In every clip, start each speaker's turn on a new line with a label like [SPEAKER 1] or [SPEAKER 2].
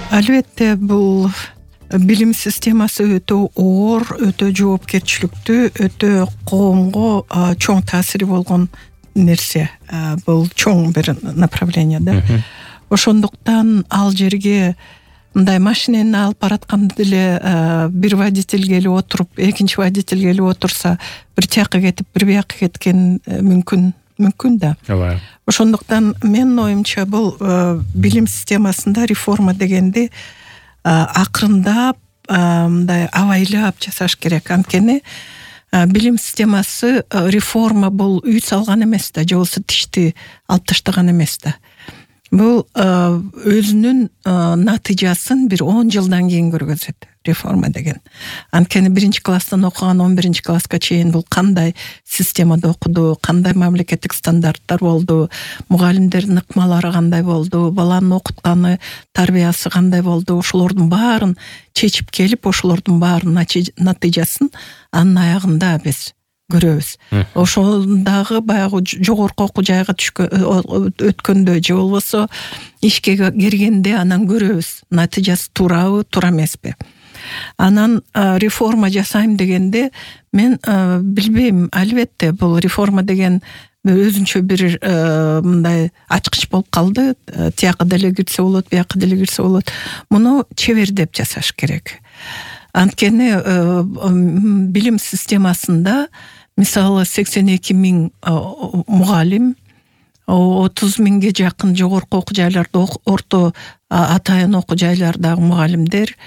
[SPEAKER 1] Албетте бул билим системасы өтө оор, өтө жоопкерчиликтүү, өтө коомго чоң таасири болгон нерсе. Бул чоң бир направление да. Ошондуктан ал жерге мындай машинени алып баратканда деле бир водитель келип отуруп, экинчи водитель келип отурса, бир тияка кетип, бир бияка кеткен мүмкүн да. Ошондуктан менин оюмча бул билим системасында реформа дегенди акырындап, мындай абайлап жасаш керек. Анткени билим системасы реформа бул үй салган эмес да, же болбосо тишти алып таштаган эмес да. Бул өзүнүн натыйжасын бир 10 жылдан кийин көргөзөт реформа деген. Анткени 1-класстан окуган 11-класска чейин бул кандай системада окуду, кандай мамлекеттик стандарттар болду, мугалимдердин ыкмалары кандай болду, баланын окутканы, тарбиясы кандай болду, ошолордун баарын чечип келип, ошолордун баарын натыйжасын анын аягында биз көрөбүз. Ошондагы баягы жогорку окуу жайга өткөндө же болбосо ишке киргенде анан көрөбүз, натыйжасы туурабы, туура эмеспи. Анан реформа жасайм дегенде мен билбейм, албетте бул реформа деген өзүнчө бир мындай ачкыч болуп калды. Тияка деле кирсе болот, бияка деле кирсе болот. Муну чебердеп жасаш керек. Анткени билим системасында мисалы 82 000 мугалим, 30 000ге жакын жогорку окуу жайларда орто атайын окуу жайлардагы мугалимдер,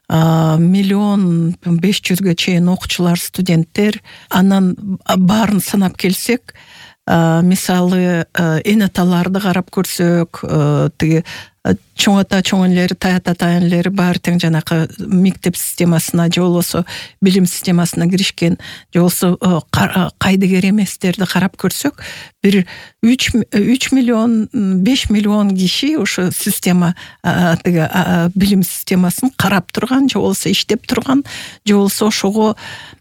[SPEAKER 1] 1 500 000 чейин окуучулар, студенттер, анан баарын санап келсек, мисалы эне аталарды карап көрсөк, тиги чоң ата, чоң энелери, тай ата, тай энелери баары тең жанакы мектеп системасына же болбосо билим системасына киришкен, же болбосо кайдыгер эместерди карап көрсөк, бир 3 миллион, 5 миллион киши ошо система, тиги билим системасын карап турган, же болбосо иштеп турган, же болбосо ошого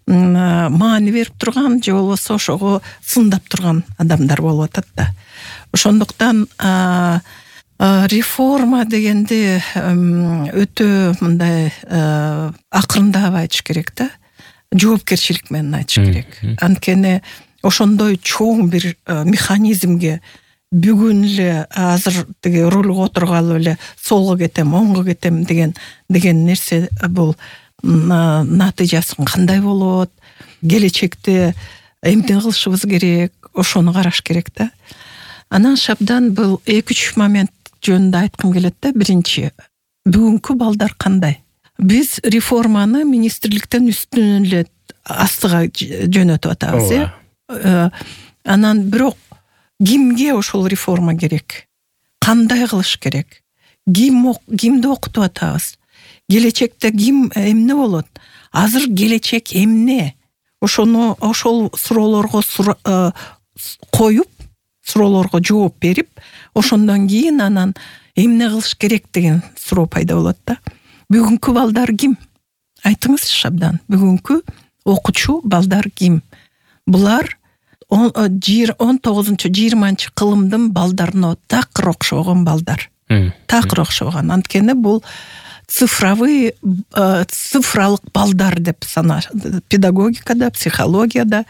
[SPEAKER 1] маани берип турган, же болбосо ошого сындап турган адамдар болуп атат да. Ошондуктан реформа дегенде өтө мындай акырындап айтыш керек да, жоопкерчилик менен айтыш керек. Анткени ошондой чоң бир механизмге бүгүн эле азыр тиги рулга отургалы эле солго кетем, оңго кетем деген нерсе бул натыйжасы кандай болот, келечекте эмне кылышыбыз керек, ошону караш керек да. Анан шабдан бул 2-3 момент жөнүндө айткым келет да. Биринчи, бүгүнкү балдар кандай? Биз реформаны министрликтен үстүнөн эле астыга жөнөтүп атабыз, Анан бирок кимге ошол реформа керек? Кандай кылыш керек? Кимди окутуп атабыз? Келечекте ким эмне болот? Азыр келечек эмне? Ошол суроолорго коюп, суроолорго жооп берип, ошондон кийин анан эмне кылыш керек деген суроо пайда болот да. Бүгүнкү балдар ким? Айтыңызчы шабдан. Бүгүнкү окуучу балдар ким? Булар 19-20 кылымдын балдарына такыр окшогон балдар. Такыр окшогон. Анткени бул цифралык балдар деп саналат. Педагогикада, психологияда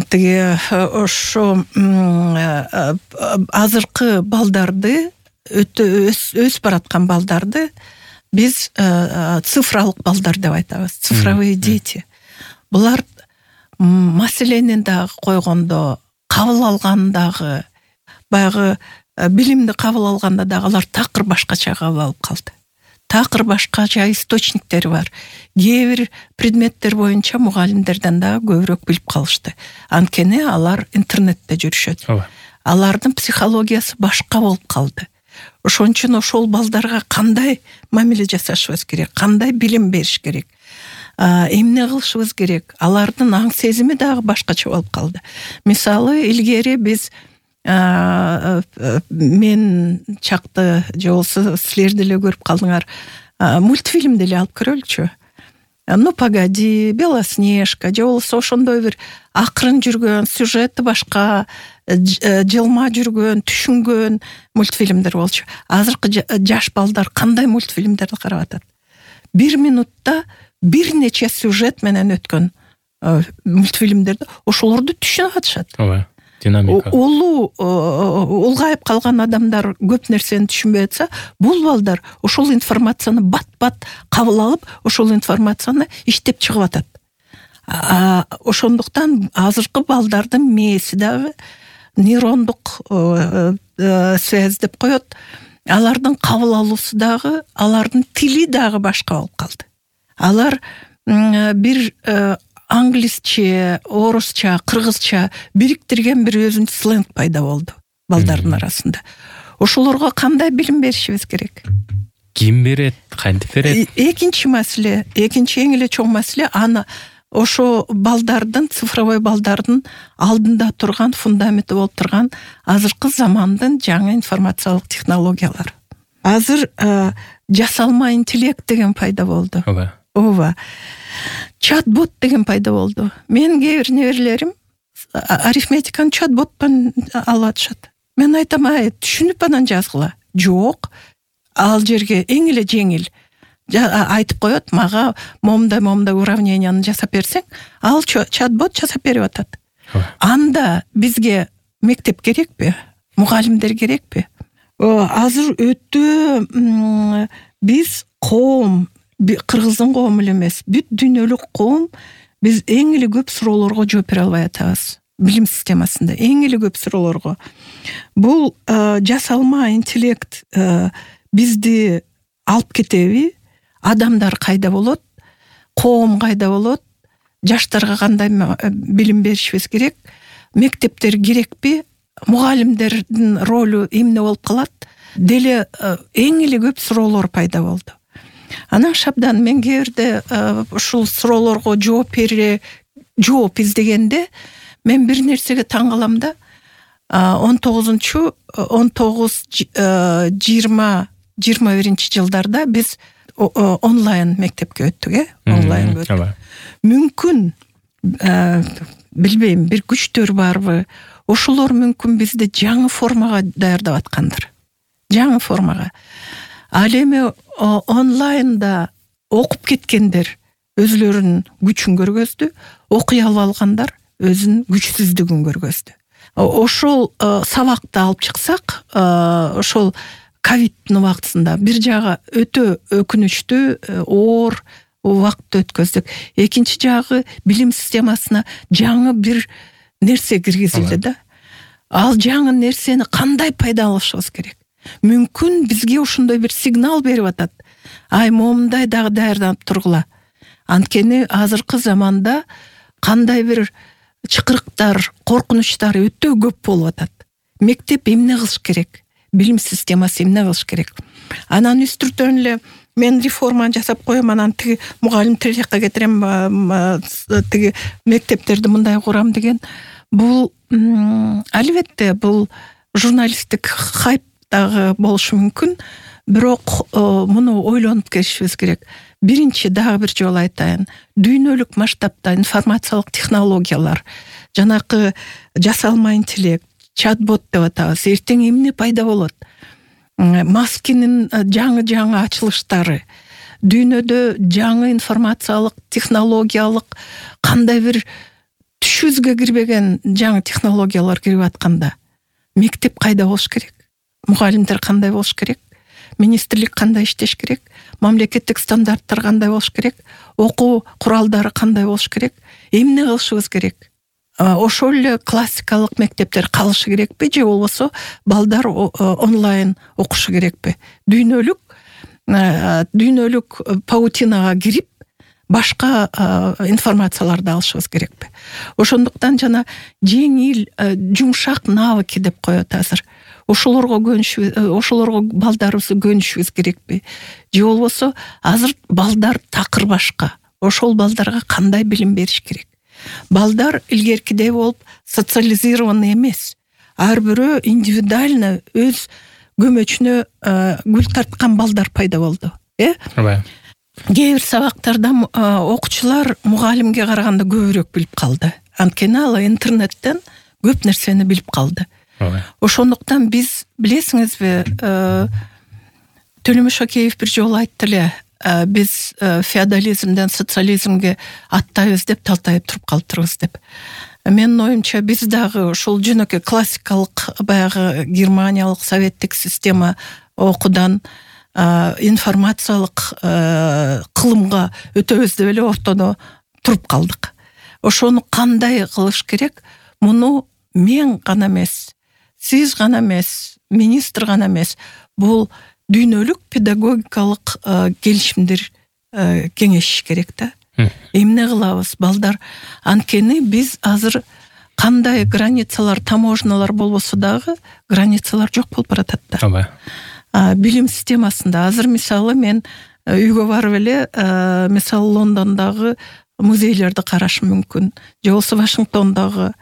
[SPEAKER 1] тиги ошо азыркы балдарды, өсүп бараткан балдарды биз цифралык балдар деп айтабыз. Цифровые дети. Булар маселени дагы койгондо, кабыл алгандагы, баягы билимди кабыл алганда дагы алар такыр башкача кабыл алып калды. Такыр башкача источниктери бар. Кээ бир предметтер боюнча мугалимдерден дагы көбүрөөк билип калышты. Анткени алар интернетте жүрүшөт. Алардын психологиясы башка болуп калды. Ошон үчүн ошол балдарга кандай мамиле жасашыбыз керек, кандай билим бериш керек, эмне кылышыбыз керек? Алардын аң сезими дагы башкача болуп калды. Мисалы, илгери биз мен чакты же болсо силер деле көрүп калдыңар, мультфильм деле алып көрөлүчү. Ну погоди, Белоснежка же болбосо ошондой бир акырын жүргөн, сюжети башка, жылма жүргөн, түшүнгөн мультфильмдер болчу. Азыркы жаш балдар кандай мультфильмдерди карап атат? 1 минутта бир нече сюжет менен өткөн мультфильмдерди ошолорду түшүнүп атышат.
[SPEAKER 2] Ооба. Динамика.
[SPEAKER 1] Улгайып калган адамдар көп нерсени түшүнбөй атса, бул балдар ошол информацияны бат-бат кабыл алып, ошол информацияны иштеп чыгып атат. Ошондуктан азыркы балдардын мээси дагы нейрондук связь деп коет. Алардын кабыл алуусу дагы, алардын тили дагы башка болуп калды. Алар бир англисче, орусча, кыргызча бириктирген бир өзүнчө сленг пайда болду балдардын арасында. Ошолорго кандай билим беришибиз керек?
[SPEAKER 2] Ким берет, кантип берет?
[SPEAKER 1] Экинчи маселе, экинчи эң эле чоң маселе аны ошо балдардын, цифровой балдардын алдында турган фундаменти болуп турган азыркы замандын жаңы информациялык технологиялары. Азыр жасалма интеллект деген пайда болду. Ооба. Чат-бот деген пайда болду. Мен кээ бир неберелерим арифметиканы чат-боттон алып атышат. Мен айтам, түшүнүп анан жазгыла. Жок. Ал жерге эң эле жеңил айтып коет, мага момундай уравненияны жасап берсең, ал чат-бот жасап берип атат. Анда бизге мектеп керекпи? Мугалимдер керекпи? Азыр өтө биз коом, кыргыздын коому эле эмес, бүт дүйнөлүк коом биз эң эле көп суроолорго жооп бере албай атабыз. Билим системасында эң эле көп суроолорго. Бул жасалма интеллект бизди алып кетеби? Адамдар кайда болот? Коом кайда болот? Жаштарга кандай билим беришибиз керек? Мектептер керекпи? Мугалимдердин ролу эмне болуп калат? Деле эң эле көп суроолор пайда болду. Анан шабдан мен кээ бирде ушул суроолорго жооп издегенде мен бир нерсеге таң калам да. 19-21 жылдарда биз онлайн мектепке өттүк, онлайн өттүк. Мүмкүн билбейм, бир күчтөр барбы? Ошолор мүмкүн бизди жаңы формага даярдап аткандыр. Жаңы формага. Ал эми онлайнда окуп кеткендер өзлөрүнүн күчүн көргөздү, окуй алгандар өзүнүн күчсүздүгүн көргөздү. Ошол сабакты алып чыксак, ошол ковиддин убактысында бир жагы өтө өкүнүчтүү, оор убакыт өткөздүк. Экинчи жагы билим системасына жаңы бир нерсе киргизилди да. Ал жаңы нерсени кандай пайдаланышыбыз керек? Мүмкүн бизге ошондой бир сигнал берип атат. Момундай дагы даярданып тургула. Анткени азыркы заманда кандай бир чыкырыктар, коркунучтар өтө көп болуп атат. Мектеп эмне кылыш керек? Билим системасы эмне кылыш керек? Анан үстүртөн эле мен реформаны жасап коем, анан тиги мугалим тирекке кетирем, тиги мектептерди мындай курам деген. Бул албетте бул журналисттик хайп дагы болушу мүмкүн, бирок муну ойлонуп келишибиз керек. Биринчи дагы бир жолу айтайын. Дүйнөлүк масштабта информациялык технологиялар, жанакы жасалма интеллект, чат-бот деп атабыз. Эртең эмне пайда болот? Маскинин жаңы ачылыштары, дүйнөдө жаңы информациялык, технологиялык кандай бир түшүбүзгө кирбеген жаңы технологиялар кирип атканда, мектеп кайда болуш керек? Мугалимдер кандай болуш керек? Министрлик кандай иштеш керек? Мамлекеттик стандарттар кандай болуш керек? Окуу куралдары кандай болуш керек? Эмне кылышыбыз керек? Ошол эле классикалык мектептер калышы керекпи же болбосо балдар онлайн окушу керекпи? Дүйнөлүк паутинага кирип башка информацияларды алышыбыз керекпи? Ошондуктан жана жеңил, жумшак навыки деп коет азыр. Ошолорго балдарыбызды көнүшүбүз керекпи? Же болбосо азыр балдар такыр башка. Ошол балдарга кандай билим бериш керек? Балдар илгеркидей болуп социализированный эмес. Ар бирөө индивидуально өз көмөчүнө гүл тарткан балдар пайда болду. кээ бир сабактарда окуучулар мугалимге караганда көбүрөөк билип калды. Анткени ал интернеттен көп нерсени билип калды. Ошондуктан биз билесиңизби, Төлөмөш Шакеев бир жолу айтты эле, биз феодализмден социализмге аттайбыз деп талтайып туруп калыптырбыз деп. Менин оюмча биз дагы ушул жөнөкөй классикалык баягы германиялык советтик система окуудан информациялык кылымга өтөбүз деп эле ортодо туруп калдык. Ошону кандай кылыш керек? Муну мен гана эмес, сиз гана эмес, министр гана эмес, бул дүйнөлүк педагогикалык келишимдер кеңешиш керек да. Эмне кылабыз, балдар? Анткени биз азыр кандай границалар, таможналар болбосо дагы границалар жок болуп баратат да. Билим системасында азыр мисалы мен үйгө барып эле мисалы Лондондогу музейлерди карашым мүмкүн, же болбосо Вашингтондогу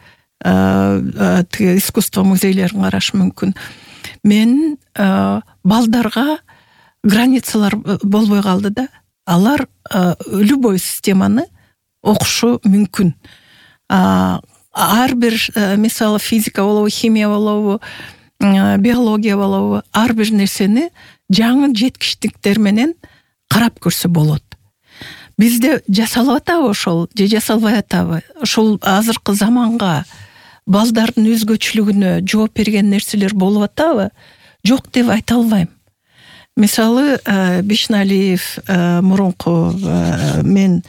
[SPEAKER 1] искусство музейлерин карашым мүмкүн. Мен балдарга границалар болбой калды да. Алар любой системаны окушу мүмкүн. Ар бир мисалы физика болобу, химия болобу, биология болобу, ар бир нерсени жаңы жеткичтиктер менен карап көрсө болот. Бизде жасалып атабы ошол, же жасалбай атабы? Ошол азыркы заманга балдардын өзгөчөлүгүнө жооп берген нерселер болуп атабы? Жок деп айта албайм. Мисалы Бишналиев мурунку мен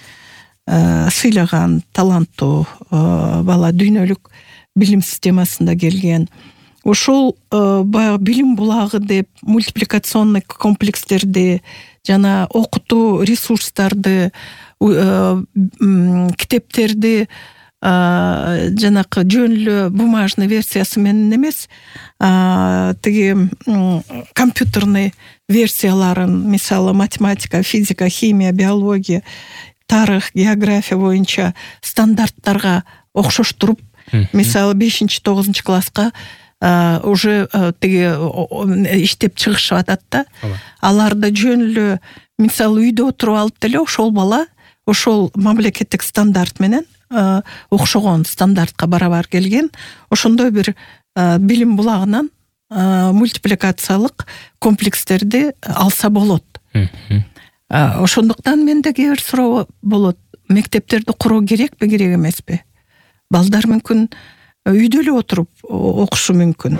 [SPEAKER 1] сыйлаган таланттуу бала дүйнөлүк билим системасында келген. Ошол баягы билим булагы деп мультипликационный комплекстерди жана окутуу ресурстарды, китептерди жанакы жөнлүү бумажный версиясы менен эмес, тиги компьютерный версияларын, мисалы математика, физика, химия, биология, тарых, география боюнча стандарттарга окшоштуруп, мисалы 5-9 класска уже тиги иштеп чыгышып атат да. Аларды жөнлүү мисалы үйдө отуруп алып деле ошол бала ошол мамлекеттик стандарт менен окшогон стандартка барабар келген, ошондой бир билим булагынан мультипликациялык комплекстерди алса болот. Ошондуктан менде кээ бир суроо болот. Мектептерди куруу керекпи, керек эмеспи? Балдар мүмкүн үйдө эле отуруп окушу мүмкүн.